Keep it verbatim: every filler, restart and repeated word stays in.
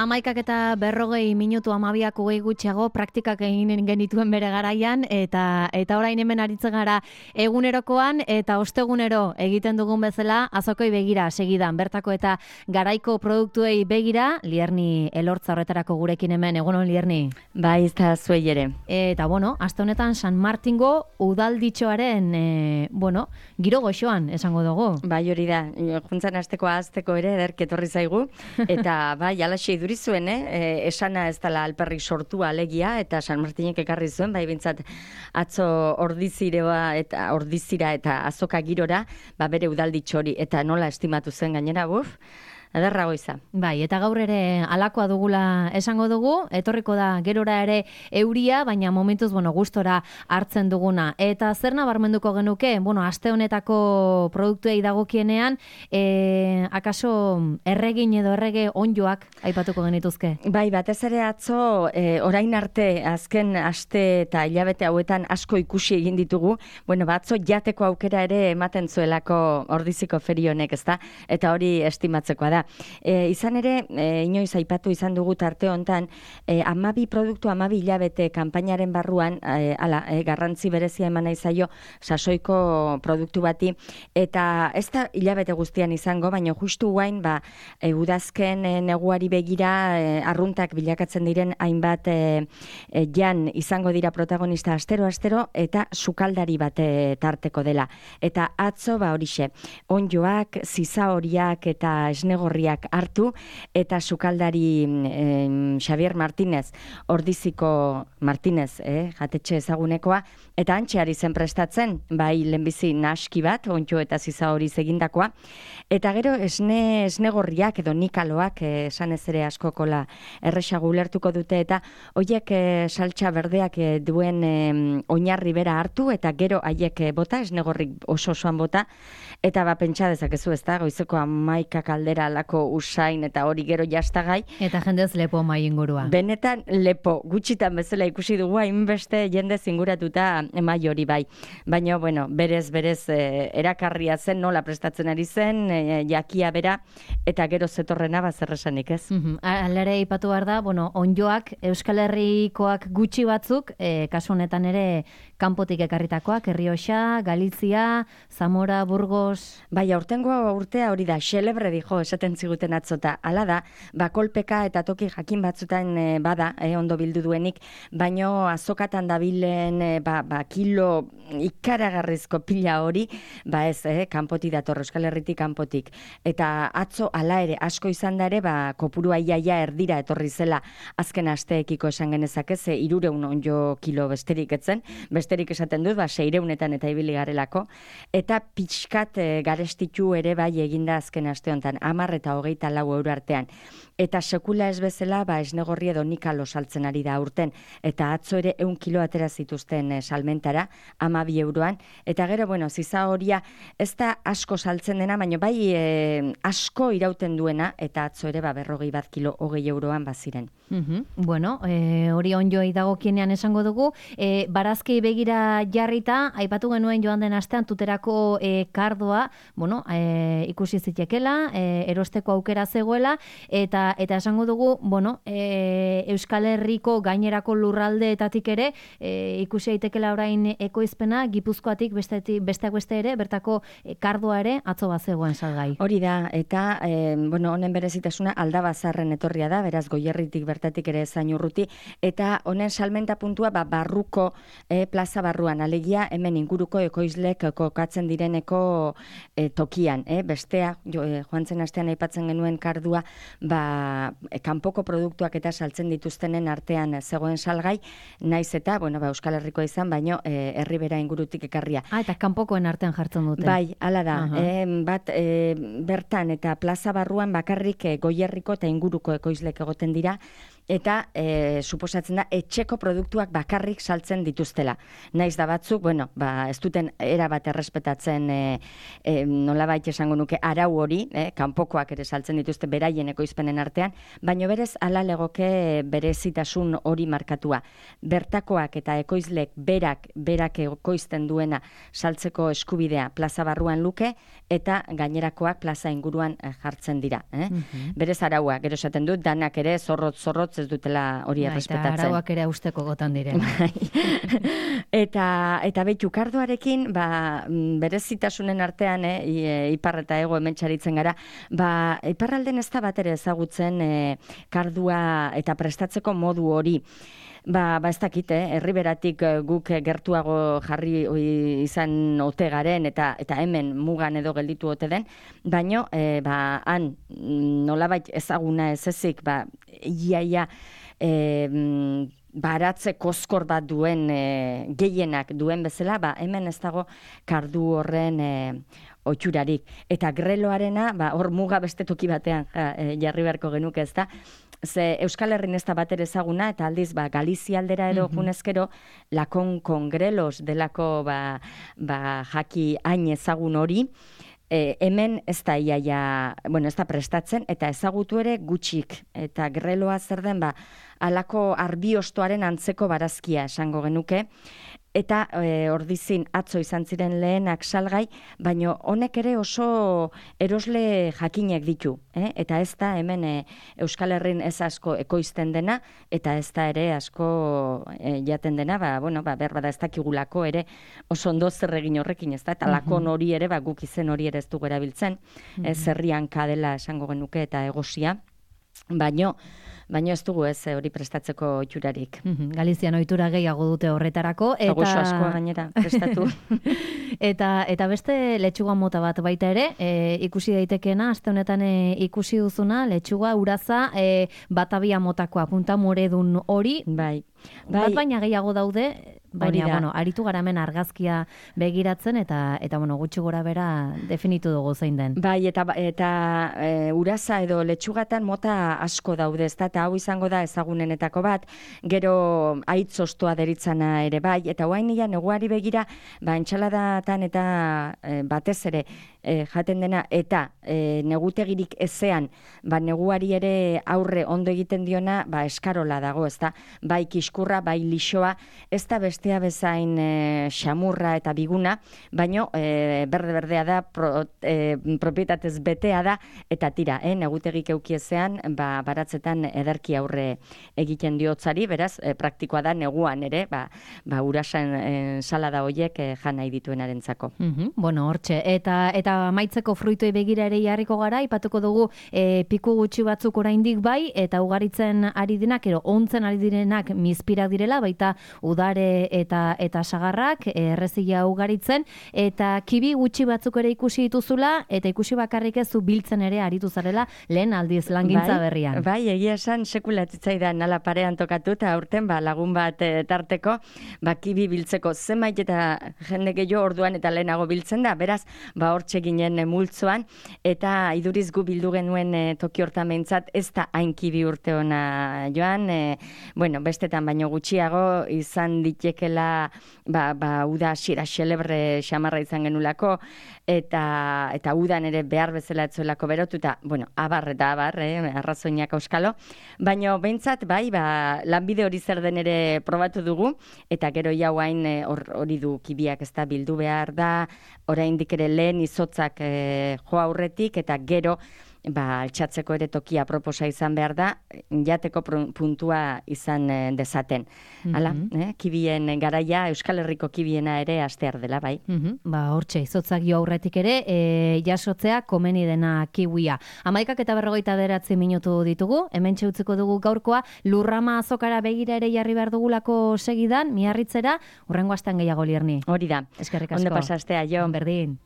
Amaikak eta berrogei minutu amabiak hogei gutxiago praktikak egin genituen bere garaian, eta eta orain hemen aritzen gara egunerokoan, eta ostegunero egiten dugun bezala azokoi begira segidan, bertako eta garaiko produktuei begira, Lierni Elortza horretarako gurekin hemen, egunon Lierni? Bai, ez da zuei ere. Eta bueno, aste honetan San Martingo udalditxoaren, e, bueno, giro goxoan esango dugu. Bai, hori da, juntzan asteko azteko ere ederk etorri zaigu, eta bai, alaxe iduri zuen, eh? E, esana ez dela alperrik sortua alegia, eta San Martinek ekarri zuen, bai bintzat atzo ordizireoa eta ordizira eta azoka girora, ba bere udalditxo hori, eta nola estimatu zen gainera, buf, ederra goiza. Bai, eta gaur ere alakoa dugula esango dugu, etorriko da gerora ere euria, baina momentuz, bueno, gustora hartzen duguna. Eta zer nabarmenduko genuke, bueno, aste honetako produktuei dagokienean, e, akaso erregin edo errege onjoak aipatuko genituzke? Bai, batez ere atzo, e, orain arte, azken aste eta hilabete hauetan asko ikusi egin ditugu, bueno, batzo jateko aukera ere ematen zuelako ordiziko ferionek, ezta? Eta hori estimatzekoa da. E, izan ere, e, inoiz aipatu izan dugu tarte hontan, e, amabi produktu, amabi hilabete kanpainaren barruan, e, ala, e, garrantzi berezia eman nahi zaio sasoiko produktu bati, eta ez da hilabete guztian izango, baina justu guain, ba, e, udazken e, neguari begira, e, arruntak bilakatzen diren hainbat e, e, jan izango dira protagonista astero-astero, eta sukaldari bat e, tarteko dela. Eta atzo, ba horixe, onjoak, ziza horiak eta esnego hartu, eta sukaldari eh, Xavier Martínez, ordiziko Martínez, eh, jatetxe ezagunekoa, eta antxeari zen prestatzen, bai lehenbizi naski bat, ontxo eta ziza hori egindakoa, eta gero esne, esnegorriak edo nikaloak, eh, esan ez ere askokola erresago ulertuko dute, eta horiek eh, saltxa berdeak eh, duen eh, oinarri bera hartu, eta gero haiek eh, bota, esnegorrik oso osoan bota, eta ba pentsa dezakezu, ez da, goizeko amaika kaldera alako usain eta hori gero jastagai. Eta jendez lepo mai ingurua. Benetan lepo, gutxitan bezala ikusi dugu hainbeste jende zinguratuta mai hori bai. Baina, bueno, berez, berez eh, erakarria zen, nola prestatzen ari zen, eh, jakia bera, eta gero zetorrena bazerresanik ez. Mm-hmm. Alere ipatu behar da, bueno, onjoak, Euskal Herrikoak gutxi batzuk, eh, kasu honetan ere kanpotik ekarritakoak, Errioxa, Galizia, Zamora, Burgos. Bai, aurtengo urtea hori da, xelebre dijo, esaten ziguten atzota. Hala da, ba, kolpeka eta toki jakin batzutan e, bada, e, ondo bildu duenik, baino azokatan dabilen e, ba, ba, kilo ikaragarrizko pila hori, ba ez, e, kanpotik dator, Euskal Herritik kanpotik. Eta atzo hala ere, asko izan da ere, ba, kopurua iaia erdira etorri zela azken asteekiko esan genezak ez, e, irureun onjo kilo besterik etzen, besterik esaten dut, ba, seireunetan eta ibili garelako, eta pixkat e, garestitu ere bai eginda azken aste honetan, amar eta hogeita lau euro artean. Eta sekula ez bezala, ba, esnegorri edo nikalo saltzen ari da urten, eta atzo ere eun kilo atera zituzten e, salmentara, amabi euroan, eta gero, bueno, ziza horia ez da asko saltzen dena, baina bai e, asko irauten duena, eta atzo ere, ba, berrogei bat kilo hogei euroan baziren. Mm-hmm. Bueno, e, hori onjoi dagokienean esango dugu, e, barazkei begira jarrita, aipatu genuen joan den astean tuterako e, kardoa, bueno, e, ikusi zitekela, e, erosteko aukera zegoela, eta eta esango dugu, bueno, e, Euskal Herriko gainerako lurraldeetatik ere, e, ikusi aitekela orain ekoizpena, Gipuzkoatik bestetik, besteak beste ere, bertako e, kardoa ere atzo bat zegoen salgai. Hori da, eta, e, bueno, honen berezitasuna Aldabazarren etorria da, beraz Goierritik bertatik ere zain urruti, eta honen salmenta puntua, ba, barruko e, plaza barruan, alegia hemen inguruko ekoizlek kokatzen direneko e, tokian, e, bestea, jo, e, joan zen astean aipatzen genuen kardua, ba, e, kanpoko produktuak eta saltzen dituztenen artean zegoen salgai, naiz eta, bueno, ba, Euskal Herrikoa izan, baino e, herribera ingurutik ekarria. Ah, eta kanpokoen artean jartzen dute. Bai, hala da, uh-huh. e, bat e, bertan eta plaza barruan bakarrik e, Goierriko eta inguruko ekoizlek egoten dira, eta e, suposatzen da etxeko produktuak bakarrik saltzen dituztela. Naiz da batzuk, bueno, ba, ez duten erabat errespetatzen e, e, nolabait esango nuke arau hori, e, kanpokoak ere saltzen dituzte beraien ekoizpenen artean, baino berez ala legoke berezitasun hori markatua. Bertakoak eta ekoizlek berak, berak ekoizten duena saltzeko eskubidea plaza barruan luke, eta gainerakoak plaza inguruan jartzen dira. Eh? Mm-hmm. Berez araua, gero esaten dut, danak ere zorrotz, zorrotz ez dutela hori errespetatzen. Eta arauak ere usteko gotan diren. eta, eta behitu, kardoarekin, ba, berezitasunen artean, eh, ipar eta ego hemen txaritzen gara, ba, iparralden ez da bat ere ezagutzen eh, kardua eta prestatzeko modu hori. Ba, ba ez dakit, eh? Herriberatik guk gertuago jarri izan ote garen eta eta hemen mugan edo gelditu ote den, baino eh, ba, han nolabait ezaguna ez ezik, ba, iaia eh, baratze koskor bat duen e, gehienak duen bezala, ba, hemen ez dago kardu horren e, otxurarik. Eta greloarena, ba, hor muga beste toki batean ja, e, jarri beharko genuke ez da, ze Euskal Herrin ez da bat ere ezaguna, eta aldiz, ba, Galizia aldera edo mm-hmm. junezkero, lakon kongrelos delako ba, ba, jaki hain ezagun hori, E, hemen ez da iaia, bueno, ez da prestatzen, eta ezagutu ere gutxik. Eta greloa zer den, ba, alako arbiostoaren antzeko barazkia esango genuke. Eta e, ordizin atzo izan ziren lehenak salgai, baino honek ere oso erosle jakinek ditu. Eh? Eta ez da hemen e, Euskal Herrin ez asko ekoizten dena, eta ez da ere asko e, jaten dena, ba, bueno, ba, behar bada ez dakigulako ere oso ondo zer egin horrekin, ez da? Eta lakon hori ere, ba, guk izen hori ere ez dugu erabiltzen, mm-hmm. ez zerrian kadela esango genuke eta egosia, baino, baino ez dugu ez hori prestatzeko itxurarik. Mm-hmm. Galizian ohitura gehiago dute horretarako. Eta goxo askoa gainera prestatu. eta, eta beste letxuga mota bat baita ere, e, ikusi daitekeena, aste honetan e, ikusi duzuna, letxuga uraza e, batabia motakoa, punta moredun hori. Bai. Bai. Bat baina gehiago daude, baina, bueno, aritu gara hemen argazkia begiratzen, eta, eta bueno, gutxi gora bera definitu dugu zein den. Bai, eta, eta e, uraza edo letxugatan mota asko daude, ez da, eta hau izango da ezagunenetako bat, gero aitz ostoa deritzana ere bai, eta guain nila neguari begira, ba, entxaladatan eta e, batez ere e, jaten dena, eta e, negutegirik ezean, ba, neguari ere aurre ondo egiten diona, ba, eskarola dago, ez da, bai kiskurra, bai lixoa, ez da bestea bezain e, xamurra eta biguna, baino e, berde-berdea da, pro, e, propietatez betea da, eta tira, eh, negutegik eukiezean, ba, baratzetan ederki aurre egiten diotzari, beraz, e, praktikoa da neguan ere, ba, ba urasan e, salada hoiek e, jan nahi dituenarentzako. Mm-hmm. Bueno, hortxe, eta eta maitzeko fruitoi begira ere jarriko gara, ipatuko dugu e, piku gutxi batzuk oraindik bai, eta ugaritzen ari direnak, ero ontzen ari direnak mizpirak direla, baita udare eta eta sagarrak, errezila ugaritzen, eta kibi gutxi batzuk ere ikusi dituzula, eta ikusi bakarrik ez zu biltzen ere aritu zarela lehen aldiz langintza bai, berrian. Bai, egia esan sekulatzaidan nala parean tokatu, eta aurten ba, lagun bat e, tarteko, ba, kibi biltzeko zenbait eta jende gehiago orduan eta lehenago biltzen da, beraz, ba, hortxe ginen e, multzoan, eta iduriz gu bildu genuen e, toki hortan behintzat, ez da hain kibi urte ona joan, e, bueno, bestetan baino gutxiago izan ditekela ba, ba, uda xira xelebre xamarra izan genulako, eta eta udan ere behar bezala etzuelako berotu, eta, bueno, abar eta abar, eh, arrazoinak auskalo, baina behintzat, bai, ba, lanbide hori zer den ere probatu dugu, eta gero jau hain hori du kibiak ez da bildu behar da, oraindik ere lehen izotzak eh, jo aurretik, eta gero, ba, altxatzeko ere tokia proposa izan behar da, jateko puntua izan e, dezaten. Hala, mm-hmm. eh? Kibien garaia, Euskal Herriko kibiena ere astear dela, bai. Mm-hmm. Ba, hortxe, izotzak jo aurretik ere, e, jasotzea komeni dena kiwia. Amaikak eta berrogeita beratzi minutu ditugu, hemen txeutzeko dugu gaurkoa, lurrama azokara begira ere jarri behar dugulako segidan, miarritzera, urrengo astean gehiago lierni. Hori da. Eskerrik asko. Ondo pasastea, jo. Berdin.